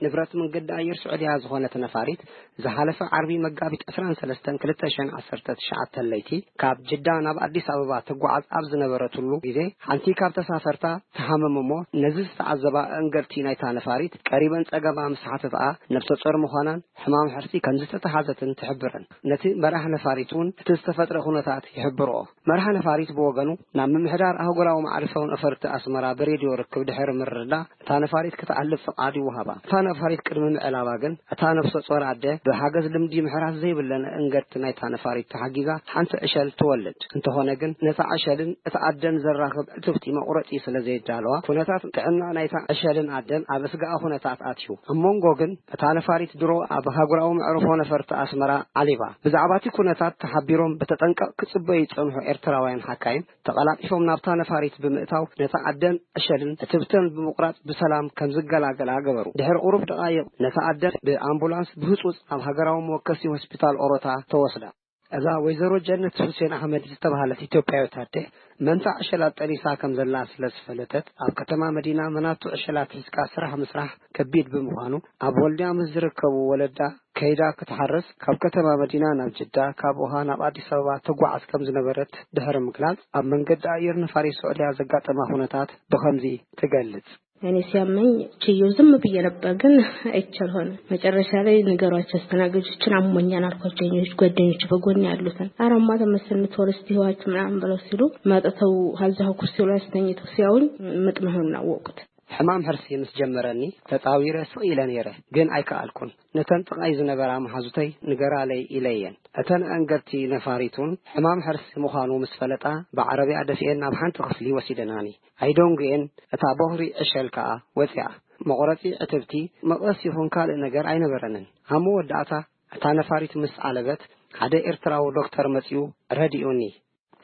ንብረት መንገዲ ኣየር ስዑድያ ዝኾነት ነፋሪት ዝሓለፈ ዓርቢ መጋቢት ዕስራን ሰለስተን ክልተ ሽሕን ዓሰርተ ትሽዓተ ለይቲ ካብ ጅዳ ናብ ኣዲስ ኣበባ ትጓዓዝ ኣብ ዝነበረትሉ ግዜ፣ ሓንቲ ካብ ተሳፈርታ ትሃምም እሞ፣ ነዚ ዝተዓዘባ ኣእንገድቲ ናይታ ነፋሪት ቀሪበን ጸገማ ምስ ሓተትኣ፣ ነብሰ ጾር ምዃናን ሕማም ሕርሲ ከም ዝተተሓዘትን ትሕብረን። ነቲ መራሕ ነፋሪት እውን እቲ ዝተፈጥረ ኩነታት ይሕብርኦ። መራሕ ነፋሪት ብወገኑ፣ ናብ ምምሕዳር ኣህጉራዊ መዓርፎ ነፈርቲ ኣስመራ ብሬድዮ ርክብ ድሕሪ ምርዳእ፣ እታ ነፋሪት ክትዓልብ ፍቓድ ይወሃባ። እታ ነፋሪት ቅድሚ ምዕላባ ግን፣ እታ ነብሰ ጾር ኣደ ብሓገዝ ልምዲ ምሕራስ ዘይብለን ኣእንገድቲ ናይታ ነፋሪት ተሓጊዛ ሓንቲ ዕሸል ትወልድ። እንተኾነ ግን፣ ነታ ዕሸልን እታ ኣደን ዘራኽብ ዕትብቲ መቑረጺ ስለ ዘየዳለዋ፣ ኩነታት ጥዕና ናይታ ዕሸልን ኣደን ኣብ ኣስጋኢ ኩነታት ኣትዩ። ኣብ መንጎ ግን፣ እታ ነፋሪት ድሮ ኣብ ኣህጉራዊ መዕርፎ ነፈርቲ ኣስመራ ዓሊባ። ብዛዕባ እቲ ኩነታት ተሓቢሮም ብተጠንቀቕ ክጽበዩ ዝጸንሑ ኤርትራውያን ሓካይም፣ ተቐላጢፎም ናብታ ነፋሪት ብምእታው፣ ነታ ኣደን ዕሸልን እትብተን ብምቑራጽ ብሰላም ከም ዝገላገላ ገበሩ። ድሕሪ ቁሩብ ደቓይቕ፣ ነታ ኣደ ብኣምቡላንስ ብህጹጽ ናብ ሃገራዊ መወከሲ ሆስፒታል ኦሮታ ተወስዳ። እዛ ወይዘሮ ጀነት ሁሴን ኣሕመድ ዝተባህለት ኢትዮጵያዊት ኣደ፣ መንታ ዕሸላት ጠኒሳ ከም ዘላ ስለ ዝፈለጠት፣ ኣብ ከተማ መዲና መናቱ ዕሸላት ሒዝካ ስራሕ ምስራሕ ከቢድ ብምዃኑ፣ ኣብ ወልድያ ምስ ዝርከቡ ወለዳ ከይዳ ክትሓርስ፣ ካብ ከተማ መዲና ናብ ጅዳ፣ ካብ ውሃ ናብ ኣዲስ ኣበባ ትጓዓዝ ከም ዝነበረት ድሕሪ ምግላጽ፣ ኣብ መንገዲ ኣየር ነፋሪት ስዑድያ ዘጋጠማ ኩነታት ብኸምዚ ትገልጽ። እኔ ሲያመኝ ችዬው ዝም ብዬ ነበር፣ ግን አይቻልሆነ። መጨረሻ ላይ ንገሯቸው አስተናጋጆችን፣ አሞኛል አልኳቸው። የኔ ጓደኞች በጎን ያሉትን፣ «ኧረ እማ ተመስል፣ ቶሎ እስቲ ይዋችሁ» ምናምን ብለው ሲሉ፣ መጥተው ሀዛው ኩርሲው ላይ አስተኝተው ሲያዩኝ፣ ምጥ መሆኑን አወቁት። ሕማም ሕርሲ ምስ ጀመረኒ፣ ተጻዊረ ስቕ ኢለ ነይረ፣ ግን ኣይከኣልኩን። ነተን ጥቓይ ዝነበራ መሓዙተይ፣ «ንገራለይ» ኢለየን። እተን ኣንገድቲ ነፋሪት እውን ሕማም ሕርሲ ምዃኑ ምስ ፈለጣ፣ ብዓረብያ ደፊኤን ናብ ሓንቲ ክፍሊ ወሲደናኒ። ኣይደንጉየን፣ እታ ቦኽሪ ዕሸል ከኣ ወጺኣ። መቑረጺ ዕትብቲ፣ መቐስ ይኹን ካልእ ነገር ኣይነበረንን። ኣብ መወዳእታ፣ እታ ነፋሪት ምስ ዓለበት፣ ሓደ ኤርትራዊ ዶክተር መጺኡ ረዲኡኒ።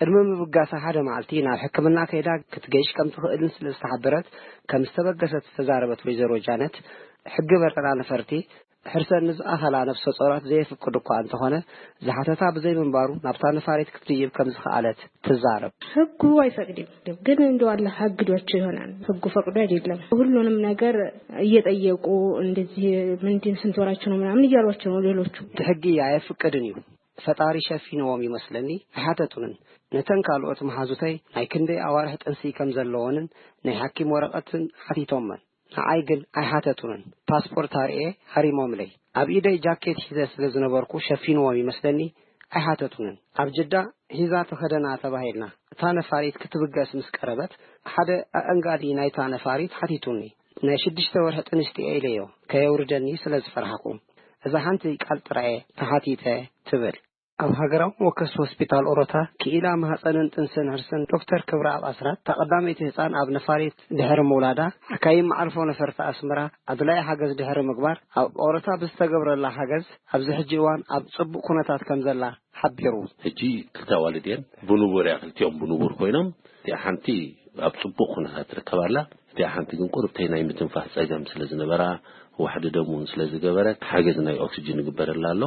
ቅድሚ ምብጋሳ ሓደ መዓልቲ ናብ ሕክምና ከይዳ ክትገይሽ ከም ትኽእልን ስለ ዝተሓበረት ከም ዝተበገሰት ዝተዛረበት ወይዘሮ ጃነት፣ ሕጊ በረራ ነፈርቲ ሕርሰን ንዝኣኸላ ነፍሰ ጾራት ዘየፍቅድ እኳ እንተኾነ፣ ዝሓተታ ብዘይምንባሩ ናብታ ነፋሪት ክትድይብ ከም ዝኸኣለት ትዛረብ። ሕጉ ኣይፈቅድም፣ ግን እንደ ዋላ ሕግ ዶች ይሆናል። ሕጉ ፈቅዶ አይደለም። ሁሉንም ነገር እየጠየቁ እንደዚህ ምንድን ስንት ወራችሁ ነው ምናምን እያሏቸው ነው ሌሎቹ። እቲ ሕጊ ኣየፍቅድን እዩ። ፈጣሪ ሸፊንዎም ይመስለኒ። ኣይሓተቱንን። ነተን ካልኦት መሓዙተይ ናይ ክንደይ ኣዋርሕ ጥንሲ ከም ዘለዎንን ናይ ሓኪም ወረቐትን ሓቲቶመን። ንዓይ ግን ኣይሓተቱንን። ፓስፖርት ኣርኤ ሃሪሞምለይ። ኣብ ኢደይ ጃኬት ሒዘ ስለ ዝነበርኩ ሸፊንዎም ይመስለኒ። ኣይሓተቱንን። ኣብ ጅዳ ሒዛ ተኸደና ተባሂልና። እታ ነፋሪት ክትብገስ ምስ ቀረበት ሓደ ኣእንጋዲ ናይታ ነፋሪት ሓቲቱኒ። ናይ ሽዱሽተ ወርሒ ጥንስቲ እየ ኢለዮ፣ ከየውርደኒ ስለ ዝፈርሓኹ። እዛ ሓንቲ ቃል ጥራየ ተሓቲተ ትብል። ኣብ ሃገራዊ መወከሲ ሆስፒታል ኦሮታ ክኢላ ማህፀንን ጥንስን ሕርስን ዶክተር ክብረኣብ ኣስራት፣ እታ ቀዳመይቲ ህፃን ኣብ ነፋሪት ድሕሪ ምውላዳ፣ ሓካይም መዓርፎ ነፈርቲ ኣስመራ ኣድላዪ ሓገዝ ድሕሪ ምግባር፣ ኣብ ኦሮታ ብዝተገብረላ ሓገዝ ኣብዚ ሕጂ እዋን ኣብ ፅቡቕ ኩነታት ከም ዘላ ሓቢሩ። ሕጂ ክልተ ኣዋልድ እየን። ብንቡር እያ፣ ክልቲኦም ብንቡር ኮይኖም፣ እቲኣ ሓንቲ ኣብ ጽቡቕ ኩነታት ትርከብ ኣላ። እቲኣ ሓንቲ ግን ቁርብተይ ናይ ምትንፋስ ጸገም ስለ ዝነበራ፣ ዋሕዲ ደም እውን ስለ ዝገበረት፣ ሓገዝ ናይ ኦክስጅን ይግበረላ ኣሎ።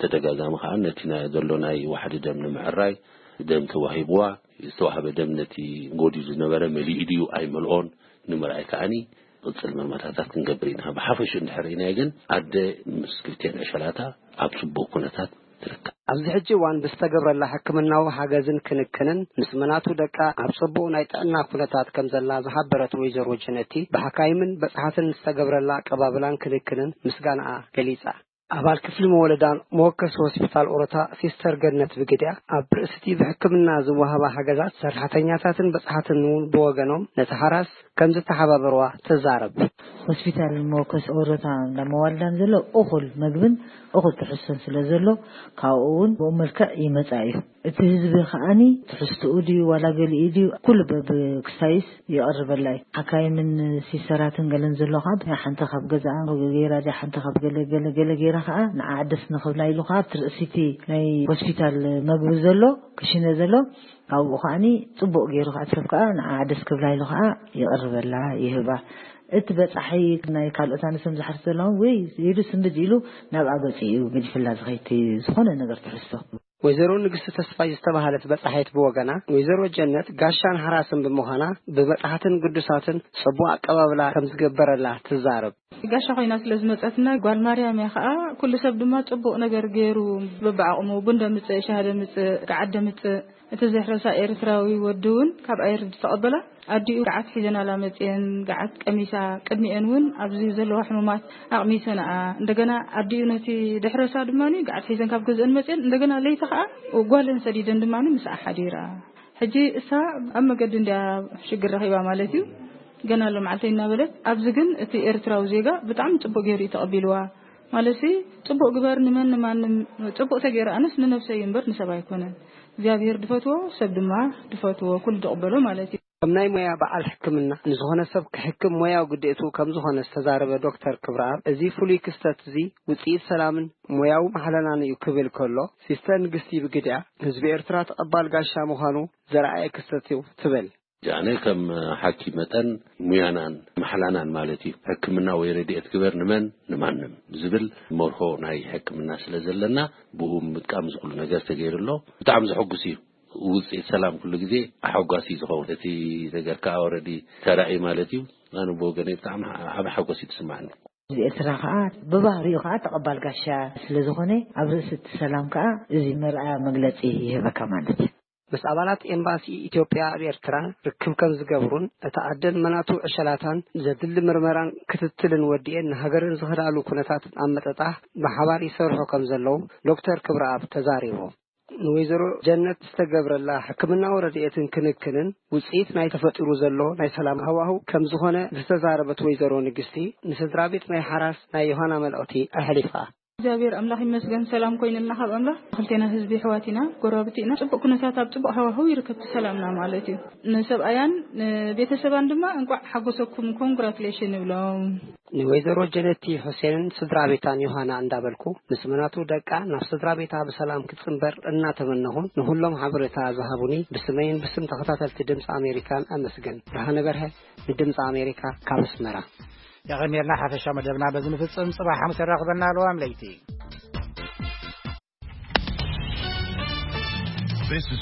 ተደጋጋሚ ከኣ ነቲ ናይ ዘሎ ናይ ዋሕዲ ደም ንምዕራይ ደም ተዋሂብዋ። ዝተዋህበ ደም ነቲ ጎዲሉ ዝነበረ መሊኡ ድዩ ኣይመልኦን ንምርኣይ ከኣኒ ቅጽል መርመራታት ክንገብር ኢና። ብሓፈሽኡ እንድሕር ርኢናዮ ግን ኣደ ምስ ክልቲኤን ዕሸላታ ኣብ ጽቡቕ ኩነታት ትርከብ። ኣብዚ ሕጂ እዋን ብዝተገብረላ ሕክምናዊ ሓገዝን ክንክንን ምስ መናቱ ደቃ ኣብ ጽቡቕ ናይ ጥዕና ኩነታት ከም ዘላ ዝሓበረት ወይዘሮ ጀነቲ፣ ብሓካይምን በጻሕትን ዝተገብረላ ኣቀባብላን ክንክንን ምስጋናኣ ገሊጻ። ኣባል ክፍሊ መወለዳን መወከሲ ሆስፒታል ኦሮታ ሲስተር ገነት ብግድያ፣ ኣብ ርእሲቲ ብሕክምና ዝወሃባ ሓገዛት ሰራሕተኛታትን በጻሕትን እውን ብወገኖም ነቲ ሓራስ ከም ዝተሓባበርዋ ትዛረብ። ሆስፒታል መወከሲ ኦሮታ እንዳ መዋልዳን ዘሎ እኹል መግብን እኹል ትሕዝቶን ስለ ዘሎ ካብኡ እውን ብኡ መልክዕ ይመጻ እዩ። እቲ ህዝቢ ከኣኒ ትሕዝትኡ ድዩ ዋላ ገሊኡ ድዩ ኩሉ በብክስታይስ ይቐርበላ እዩ። ሓካይምን ሲስተራትን ገለን ዘሎ ከዓ ሓንቲ ካብ ገዛኣ ገይራ ድያ ሓንቲ ካብ ገለ ገለ ገለ ገይራ ከዓ ንዓ ዓደስ ንኽብላ ኢሉ ከዓ ኣብቲ ርእሲቲ ናይ ሆስፒታል መግቢ ዘሎ ክሽነ ዘሎ ካብኡ ከዓኒ ጽቡቕ ገይሩ ከዓ ሰብ ከዓ ንዓ ዓደስ ክብላ ኢሉ ከዓ ይቕርበላ ይህባ። እቲ በጻሒ ናይ ካልኦት ኣንስቶም ዝሓርስ ዘለኹም ወይ ኢሉ ስንብድ ኢሉ ናብ ኣገጺ እዩ ገዲፍላ ዝኸይቲ ዝኾነ ነገር ትሕዝቶ። ወይዘሮ ንግስቲ ተስፋይ ዝተባህለት በጻሒት ብወገና፣ ወይዘሮ ጀነት ጋሻን ሓራስን ብምዃና ብበጻሕትን ግዱሳትን ጽቡቕ ኣቀባብላ ከም ዝገበረላ ትዛረብ። ጋሻ ኮይና ስለ ዝመጸትና ጓል ማርያም እያ። ከኣ ኩሉ ሰብ ድማ ጽቡቕ ነገር ገይሩ በብዓቕሙ ቡን ደምጽእ፣ ሻሂ ደምጽእ፣ ገዓት ደምጽእ። እቲ ዘሕረሳ ኤርትራዊ ወዲ እውን ካብ ኣየር ዝተቐበላ ኣዲኡ ገዓት ሒዘናላ መጽየን፣ ገዓት ቀሚሳ፣ ቅድሚኤን እውን ኣብዚ ዘለዋ ሕሙማት ኣቕሚሰንኣ። እንደገና ኣዲኡ ነቲ ደሕረሳ ድማ ገዓት ሒዘን ካብ ገዝአን መጽየን፣ እንደገና ለይቲ ከኣ ጓለን ሰዲደን ድማ ምስኣ ሓዲራ። ሕጂ እሳ ኣብ መገዲ እንድያ ሽግር ረኺባ ማለት እዩ። ገና ኣሎ መዓልተይ እናበለት፣ ኣብዚ ግን እቲ ኤርትራዊ ዜጋ ብጣዕሚ ጽቡቕ ገይሩ እዩ ተቐቢልዋ። ማለትሲ ጽቡቕ ግበር ንመን ንማንም ጽቡቕ ተገይሩ ኣነስ ንነብሰይ እምበር ንሰብ ኣይኮነን። እግዚኣብሔር ድፈትዎ ሰብ ድማ ድፈትዎ ኩሉ ድቕበሎ ማለት እዩ። ከም ናይ ሞያ በዓል ሕክምና ንዝኾነ ሰብ ክሕክም ሞያዊ ግዴቱ ከም ዝኾነ ዝተዛረበ ዶክተር ክብረኣብ፣ እዚ ፍሉይ ክስተት እዚ ውጽኢት ሰላምን ሞያዊ ማሕለናን እዩ ክብል ከሎ፣ ሲስተር ንግስቲ ብግዲኣ ህዝቢ ኤርትራ ተቐባል ጋሻ ምዃኑ ዘርኣየ ክስተት እዩ ትብል። ኣነ ከም ሓኪም መጠን ሙያናን ማሕላናን ማለት እዩ። ሕክምና ወይ ረድኤት ግበር ንመን ንማንም ዝብል መርሆ ናይ ሕክምና ስለ ዘለና ብኡ ምጥቃም ዝኽሉ ነገር ተገይሩ ኣሎ። ብጣዕሚ ዘሐጉስ እዩ። ውፅኢት ሰላም ኩሉ ግዜ ኣሐጓሲ እዩ ዝኸውን። እቲ ነገር ከዓ ኦረዲ ተራእዩ ማለት እዩ። ኣነ ብወገነይ ብጣዕሚ ዓብ ሓጎስ እዩ ዝስማዕኒ። ህዝቢ ኤርትራ ከዓ ብባህሪኡ ከዓ ተቐባል ጋሻ ስለ ዝኾነ ኣብ ርእሲ እቲ ሰላም ከዓ እዚ መርኣያ መግለፂ ይህበካ ማለት እዩ። ምስ ኣባላት ኤምባሲ ኢትዮጵያ ኣብ ኤርትራ ርክብ ከም ዝገብሩን እታ ኣደን መናቱ ዕሸላታን ዘድሊ ምርመራን ክትትልን ወዲኤን ንሃገረን ዝኸዳሉ ኩነታት ኣብ ምጥጣሕ ብሓባር ይሰርሑ ከም ዘለዉ ዶክተር ክብረኣብ ተዛሪቦም። ንወይዘሮ ጀነት ዝተገብረላ ሕክምናዊ ረድኤትን ክንክንን ውፅኢት ናይ ተፈጢሩ ዘሎ ናይ ሰላም ሃዋህው ከም ዝኾነ ዝተዛረበት ወይዘሮ ንግስቲ ንስድራ ቤት ናይ ሓራስ ናይ ዮሃና መልእኽቲ ኣሕሊፋ። እግዚኣብሔር ኣምላኽ ይመስገን፣ ሰላም ኮይንና። ካብ ኣምላኽ ክልቴና ህዝቢ ኣሕዋት ኢና፣ ጎረባብቲ ኢና። ጽቡቕ ኩነታት፣ ኣብ ጽቡቕ ሃዋህው ይርከብ ሰላምና ማለት እዩ። ንሰብኣያን ንቤተሰባን ድማ እንቋዕ ሓጎሰኩም፣ ኮንግራቱሌሽን ይብሎም። ንወይዘሮ ጀነቲ ሑሴንን ስድራ ቤታን ዮሃና እንዳበልኩ፣ ምስ መናቱ ደቃ ናብ ስድራ ቤታ ብሰላም ክትጽንበር እናተመነኹን፣ ንኹሎም ሓበሬታ ዝሃቡኒ ብስመይን ብስም ተኸታተልቲ ድምፂ ኣሜሪካን ኣመስግን። ብርሃነ በርሀ ንድምፂ ኣሜሪካ ካብ ኣስመራ። የቐንየልና። ሓፈሻ መደብና በዚ ንፍጽም። ጽባሕ ሓሙስ የራኽበና። ለዋም ለይቲ። This is